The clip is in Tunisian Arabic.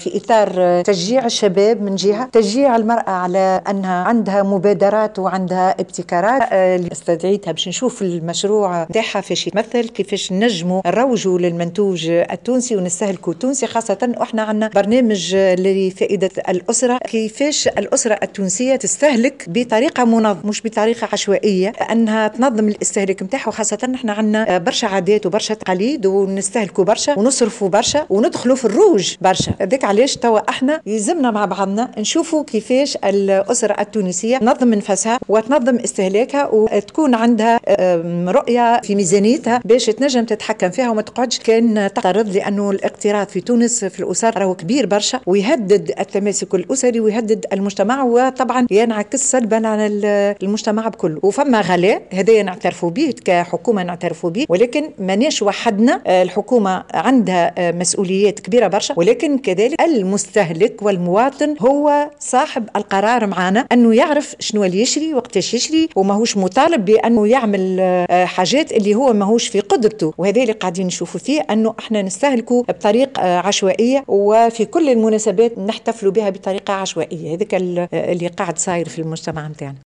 في اطار تشجيع الشباب من جهه، تشجيع المراة على انها عندها مبادرات وعندها ابتكارات. استدعيتها باش نشوف المشروع نتاعها فاش يتمثل، كيفاش نجموا نروجوا للمنتوج التونسي ونستهلكوا التونسي، خاصة احنا عندنا برنامج لفائدة الاسره، كيفاش الاسرة التونسية تستهلك بطريقة منظمة مش بطريقة عشوائيه، انها تنظم الاستهلاك نتاعها. وخاصة احنا عندنا برشا عادات وبرشا تقاليد ونستهلكوا برشا ونصرفوا برشا وندخلوا في الروج برشا. هذاك علاش توا احنا يلزمنا مع بعضنا نشوفوا كيفاش الاسرة التونسية تنظم نفسها وتنظم استهلاكها وتكون عندها رؤية في ميزانيتها باش تنجم تتحكم فيها وما تقعدش كان تقترض، لانه الاقتراض في تونس في الاسر راهو كبير برشا ويهدد التماسك الاسري ويهدد المجتمع، وطبعا ينعكس سلبا على المجتمع بكله. وفما غلاء هذايا نعترفوا به كحكومه، نعترفوا به، ولكن ماناش وحدنا. الحكومة عندها مسؤوليات كبيرة برشا، ولكن كذلك المستهلك والمواطن هو صاحب القرار معنا، انه يعرف شنو اللي يشري وقتاش يشري، وماهوش مطالب بانه يعمل حاجات اللي هو ماهوش في قدرته. وهذا اللي قاعدين نشوفوا فيه، انه احنا نستهلكوا بطريقة عشوائية وفي كل المناسبات نحتفلوا بها بطريقة عشوائيه. هذاك اللي قاعد صاير في المجتمع نتاعنا.